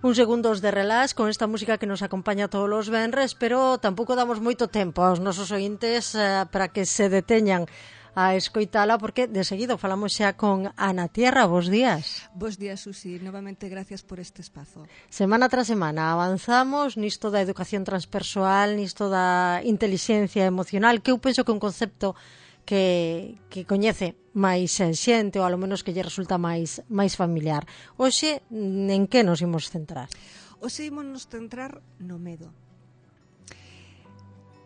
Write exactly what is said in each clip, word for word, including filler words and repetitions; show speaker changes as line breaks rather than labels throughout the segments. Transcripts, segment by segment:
uns segundos de relax con esta música que nos acompaña todos os venres, pero tampouco damos moito tempo aos nosos ointes eh, para que se deteñan a escoitala, porque de seguido falamos xa con Ana Tierra. Bos días.
Bos días, Susi. Novamente, gracias por este espazo.
Semana tras semana avanzamos nisto da educación transpersoal, nisto da intelixencia emocional, que eu penso que é un concepto que, que coñece máis xente, ou alo menos que lle resulta máis, máis familiar. Hoxe, en que nos imos centrar?
Hoxe imos nos centrar no medo.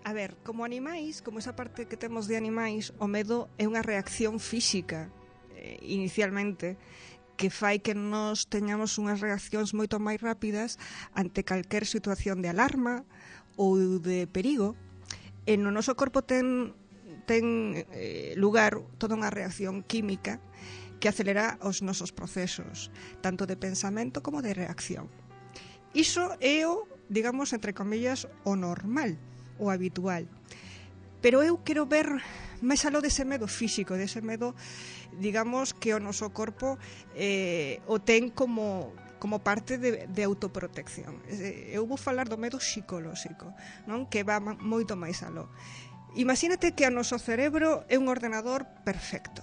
A ver, como animais, como esa parte que temos de animais, o medo é unha reacción física, eh, inicialmente, que fai que nos teñamos unhas reaccións moito máis rápidas ante calquer situación de alarma ou de perigo. E no noso corpo ten, ten eh, lugar toda unha reacción química que acelera os nosos procesos, tanto de pensamento como de reacción. Iso é o, digamos, entre comillas, o normal, o habitual. Pero eu quero ver máis aló dese medo físico, dese medo, digamos, que o noso corpo eh, o ten como, como parte de, de autoprotección. Eu vou falar do medo psicolóxico, non? Que va moito máis aló. Imagínate que o noso cerebro é un ordenador perfecto.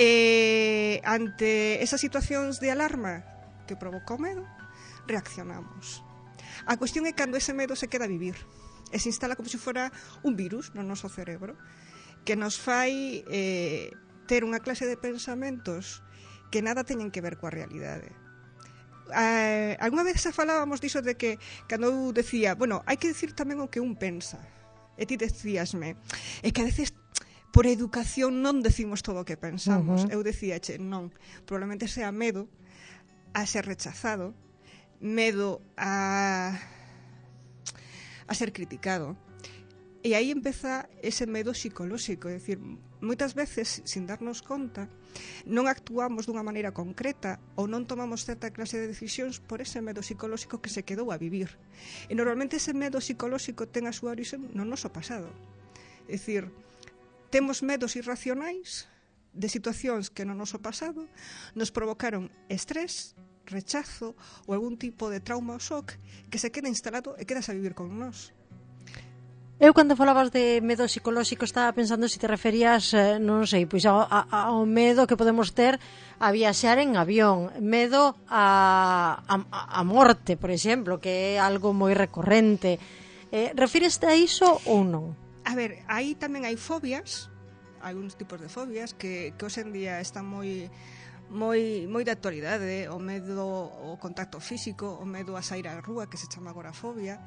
E ante esas situacións de alarma que provoca o medo, reaccionamos. A cuestión é cando ese medo se queda a vivir e se instala como se fora un virus no noso cerebro que nos fai eh, ter unha clase de pensamentos que nada teñen que ver coa realidade. Eh, alguna vez xa falábamos diso de que cando eu decía, bueno, hai que decir tamén o que un pensa, e ti decíasme, é que a veces por educación non decimos todo o que pensamos. Uh-huh. Eu decíache, non, probablemente sea medo a ser rechazado, medo a a ser criticado. E aí empeza ese medo psicolóxico, é dicir, moitas veces, sin darnos conta, non actuamos dunha maneira concreta ou non tomamos certa clase de decisións por ese medo psicolóxico que se quedou a vivir. E normalmente ese medo psicolóxico ten a súa orixe no noso pasado. É dicir, temos medos irracionais de situacións que no noso pasado nos provocaron estrés, rechazo ou algún tipo de trauma ou shock que se queda instalado e quedas a vivir con nós.
Eu, cando falabas de medo psicolóxico, estaba pensando se te referías, eh, non sei, pois ao, ao medo que podemos ter a viaxar en avión, medo a, a, a morte, por exemplo, que é algo moi recorrente. Eh, refíreste a iso ou non?
A ver, aí tamén hai fobias, algúns tipos de fobias que, que hoxe en día están moi moi moi de actualidade, o medo ao contacto físico, o medo a sair á rúa, que se chama agorafobia.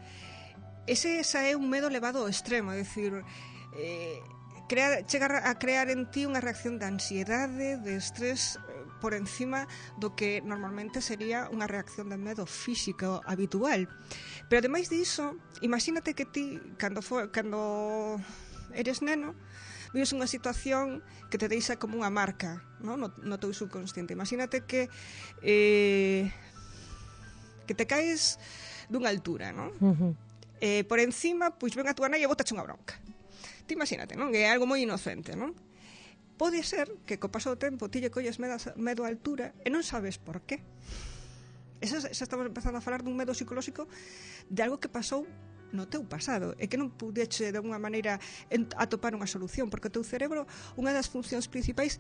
Ese esa é un medo elevado ao extremo, é dicir, eh, crear, chegar a crear en ti unha reacción de ansiedade, de estrés, eh, por encima do que normalmente sería unha reacción de medo físico habitual. Pero ademais diso, imagínate que ti, cando, for, cando eres neno, vives unha situación que te deixa como unha marca, no, no, no teu subconsciente. Imagínate que eh, que te caes dunha altura, non? Uh-huh. Eh, por encima, pois ven a tua nai e botache unha bronca. Ti imagínate, non? Que é algo moi inocente, non? Pode ser que co paso do tempo ti lle colles medo, medo a altura e non sabes por qué. Eso, xa estamos empezando a falar dun medo psicolóxico de algo que pasou no teu pasado, e que non pudeche de alguna maneira atopar unha solución, porque o teu cerebro, unha das funcións principais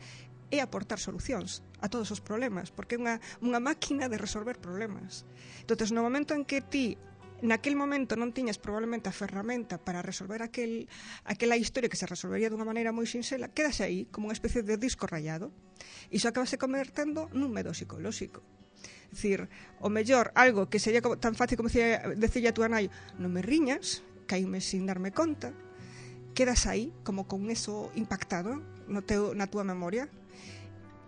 é aportar solucións a todos os problemas, porque é unha, unha máquina de resolver problemas. Entón, no momento en que ti naquel momento non tiñas probablemente a ferramenta para resolver aquel, aquela historia que se resolvería dunha maneira moi sinxela, quedase aí como unha especie de disco rayado, e iso acabase convertendo nun medo psicolóxico. É dicir, o mellor, algo que sería tan fácil como decirle a túa nai, non me riñas, caíme sin darme conta, quedas aí como con eso impactado no teu, na túa memoria,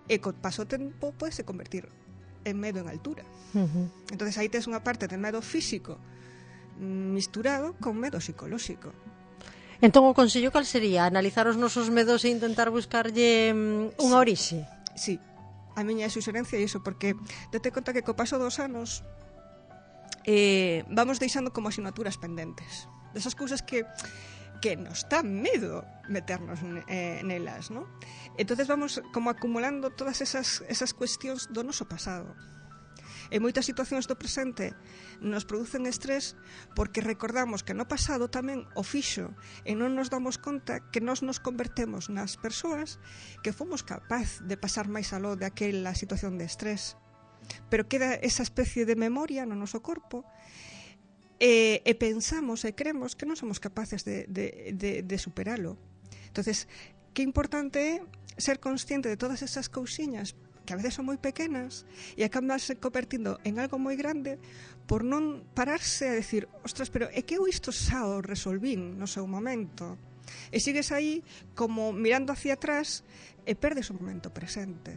e co paso tempo pode se convertir en medo en altura. Uh-huh. Entonces aí tes unha parte de medo físico misturado con medo psicolóxico.
Entón o consello cal sería? Analizar os nosos medos e intentar buscarlle um, unha
sí.
orixe?
Sí. A miña suxerencia é iso, porque date conta que co paso dos anos eh, vamos deixando como asignaturas pendentes desas cousas que que nos dá medo meternos eh, nelas, ¿no? Entonces vamos como acumulando todas esas, esas cuestións do noso pasado. E moitas situacións do presente nos producen estrés porque recordamos que no pasado tamén o fixo e non nos damos conta que nós nos convertemos nas persoas que fomos capaz de pasar máis aló de aquela situación de estrés. Pero queda esa especie de memoria no noso corpo e, e pensamos e creemos que non somos capaces de, de, de, de superalo. Entonces, que importante é ser consciente de todas esas cousiñas que a veces son moi pequenas e acabanse convertindo en algo moi grande por non pararse a decir, ostras, pero é que eu isto xa o resolvín no seu momento. E sigues aí como mirando hacia atrás e perdes o momento presente.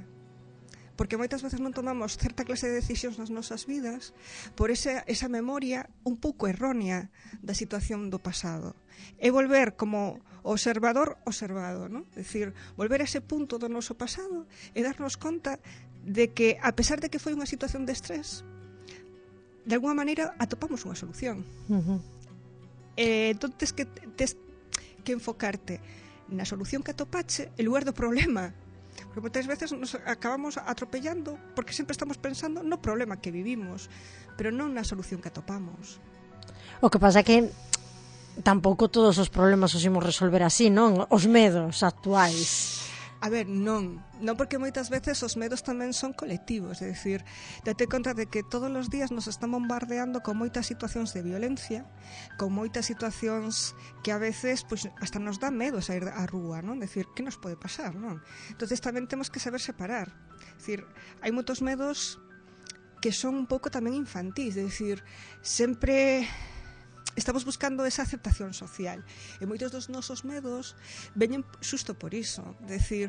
Porque moitas veces non tomamos certa clase de decisións nas nosas vidas por esa, esa memoria un pouco errónea da situación do pasado. É volver como observador observado, ¿no? É dicir, volver a ese punto do noso pasado e darnos conta de que, a pesar de que foi unha situación de estrés, de alguma maneira atopamos unha solución.
Uh-huh.
Eh, entón, tes que, tes que enfocarte na solución que atopache en lugar do problema. Porque moitas veces nos acabamos atropellando porque sempre estamos pensando no problema que vivimos, pero non na solución que atopamos.
O que pasa é que tampouco todos os problemas os imos resolver así, non? Os medos actuais.
A ver, non. Non, porque moitas veces os medos tamén son colectivos. É dicir, date conta de que todos os días nos están bombardeando con moitas situacións de violencia, con moitas situacións que a veces pues, hasta nos dá medo sair á rúa, non? Decir, que nos pode pasar, non? Entonces tamén temos que saber separar. É dicir, hai moitos medos que son un pouco tamén infantís. É dicir, sempre estamos buscando esa aceptación social e moitos dos nosos medos veñen xusto por iso, decir,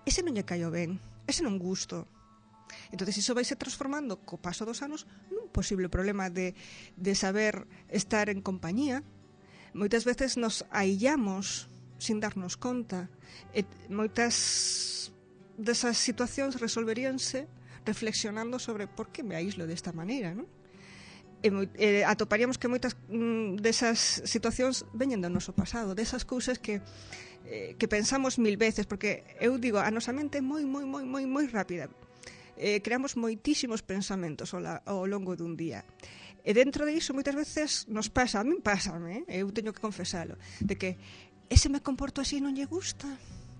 ese non lle caio ben, ese non gusto. Entón, iso vai se transformando co paso dos anos nun posible problema de, de saber estar en compañía. Moitas veces nos aillamos sin darnos conta e moitas desas situacións resolveríanse reflexionando sobre por que me aíslo desta maneira, non? E, e atoparíamos que moitas mm, desas situacións veñen do noso pasado, desas cousas que eh, que pensamos mil veces, porque eu digo, a nosa mente é moi, moi, moi, moi, moi rápida. Eh, creamos moitísimos pensamentos ao, la, ao longo dun día. E dentro de iso moitas veces nos pasa, a min pásame, eh, eu teño que confesalo, de que ese me comporto así non lle gusta,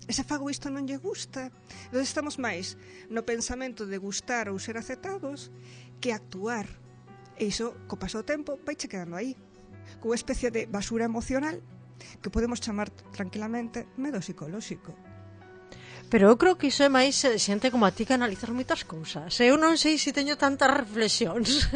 ese fago isto non lle gusta. Entón estamos máis no pensamento de gustar ou ser aceptados que actuar. E iso, co paso do tempo, vaiche quedando aí, cunha especie de basura emocional que podemos chamar tranquilamente medo psicolóxico.
Pero eu creo que iso é máis xente como a ti que analizar moitas cousas. Eu non sei se teño tantas reflexións.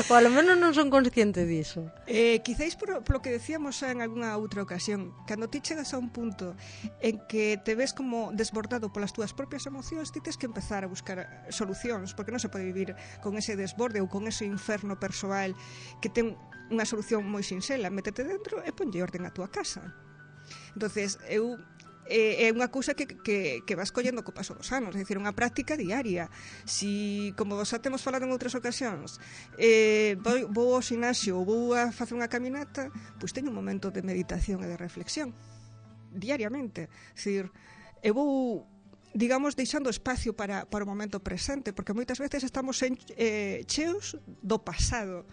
Ou alo menos non son consciente diso.
Eh, quizáis por, por lo que decíamos xa en algunha outra ocasión, cando ti chegas a un punto en que te ves como desbordado polas túas propias emocións, ti tens que empezar a buscar solucións, porque non se pode vivir con ese desborde ou con ese inferno persoal que ten unha solución moi sinxela. Métete dentro e ponlle orden a túa casa. Entonces, eu é unha cousa que, que, que vas collendo co paso dos anos, é dicir, unha práctica diaria. Si, como xa temos falado en outras ocasións, eh, vou, vou ao xinasio ou vou a facer unha caminata, pois teño un momento de meditación e de reflexión diariamente. É dicir, eu vou, digamos, deixando espacio para, para o momento presente, porque moitas veces estamos en, eh, cheos do pasado,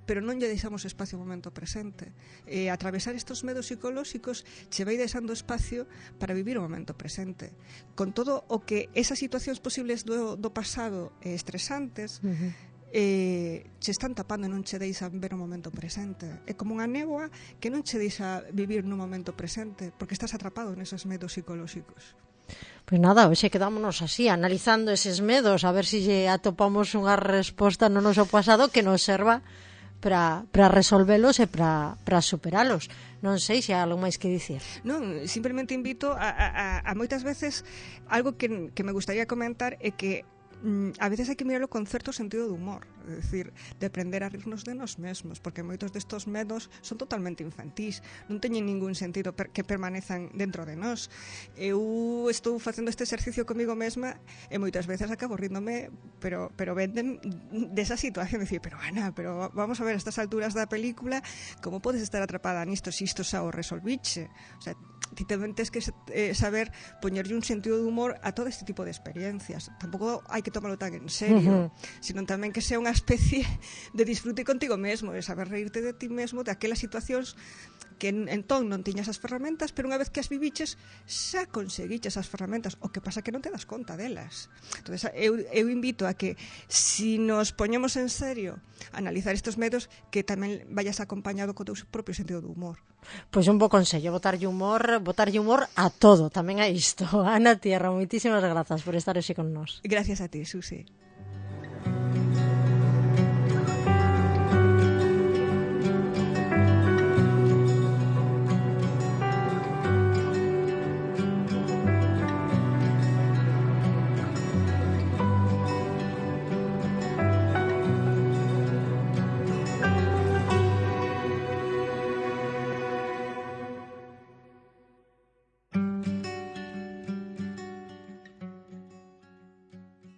pero non lle deixamos espacio ao momento presente. E atravesar estes medos psicolóxicos che vai deixando espacio para vivir o momento presente. Con todo o que esas situacións posibles do, do pasado eh, estresantes, uh-huh. eh, che están tapando e non che deixan ver o momento presente. É como unha néboa que non che deixa vivir no momento presente, porque estás atrapado neses medos psicolóxicos.
Pois nada, hoxe quedámonos así, analizando eses medos, a ver se si atopamos unha resposta no noso pasado que nos serva para, para resolvelos e para, para superalos. Non sei se hai algo máis que dicir.
Non, simplemente invito a, a, a moitas veces algo que, que me gustaría comentar é que mm, a veces hai que mirarlo con certo sentido de humor, é dicir, de aprender a rirnos de nós mesmos, porque moitos destos medos son totalmente infantís, non teñen ningún sentido per, que permanezan dentro de nós. Eu estou facendo este exercicio comigo mesma e moitas veces acabo ríndome, pero pero venden desa situación, decir, pero Ana, pero vamos a ver, a estas alturas da película, como podes estar atrapada nisto se isto xa o resolviche? O sea, ti tamén tens que eh, saber poñerlle un sentido de humor a todo este tipo de experiencias. Tampouco hai que tomarlo tan en serio, uh-huh. sino tamén que sea unha especie de disfrute contigo mesmo, de saber reírte de ti mesmo, de aquelas situacións que en, entón non tiñas as ferramentas, pero unha vez que as viviches, xa conseguiches as ferramentas, o que pasa que non te das conta delas. Entón, eu, eu invito a que, si nos poñemos en serio a analizar estes medos, que tamén vayas acompañado co teu propio sentido do humor.
Pois un bo consello, botarlle humor, botarlle humor a todo, tamén a isto. Ana Tierra, moitísimas grazas por estar hoxe con nós.
Gracias a ti, Susi.